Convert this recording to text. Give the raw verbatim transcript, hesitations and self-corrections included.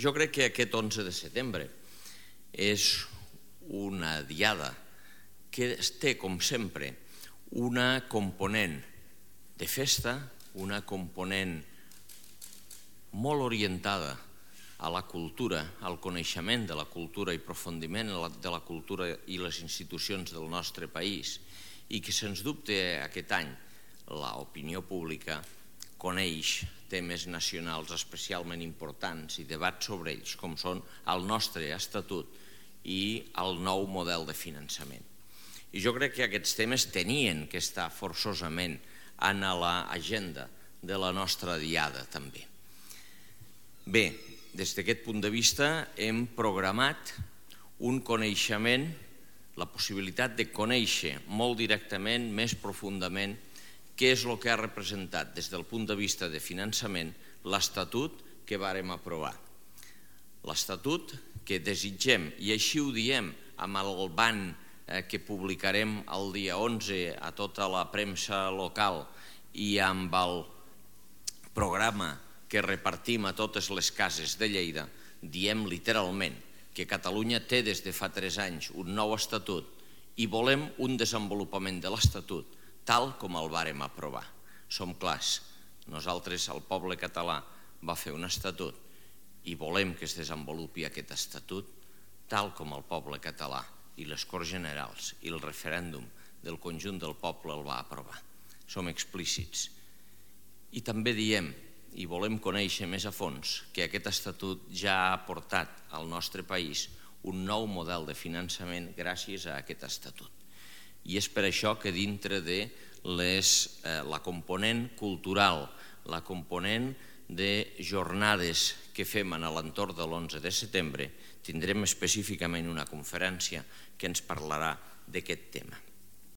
Jo crec que aquest onze de setembre és una diada que té, com sempre, una component de festa, una component molt orientada a la cultura, al coneixement de la cultura i aprofundiment de la cultura i les institucions del nostre país, i que, sens dubte, aquest any l'opinió pública coneix temes nacionals especialment importants i debats sobre ells, com són el nostre estatut i el nou model de finançament. I jo crec que aquests temes tenien que estar forçosament en l'agenda de la nostra diada també. Bé, des d'aquest punt de vista hem programat un coneixement, la possibilitat de conèixer molt directament, més profundament, què és el que ha representat des del punt de vista de finançament l'Estatut que vàrem aprovar. L'Estatut que desitgem, i així ho diem amb el ban que publicarem el dia onze a tota la premsa local i amb el programa que repartim a totes les cases de Lleida, diem literalment que Catalunya té des de fa tres anys un nou estatut i volem un desenvolupament de l'estatut tal com el vàrem aprovar. Som clars, nosaltres, el poble català, va fer un estatut i volem que es desenvolupi aquest estatut tal com el poble català i les Corts Generals i el referèndum del conjunt del poble el va aprovar. Som explícits. I també diem, i volem conèixer més a fons, que aquest estatut ja ha aportat al nostre país un nou model de finançament gràcies a aquest estatut. I és per això que dintre de la component cultural, la component de jornades que fem a l'entorn de l'onze de setembre, tindrem específicament una conferència que ens parlarà d'aquest tema.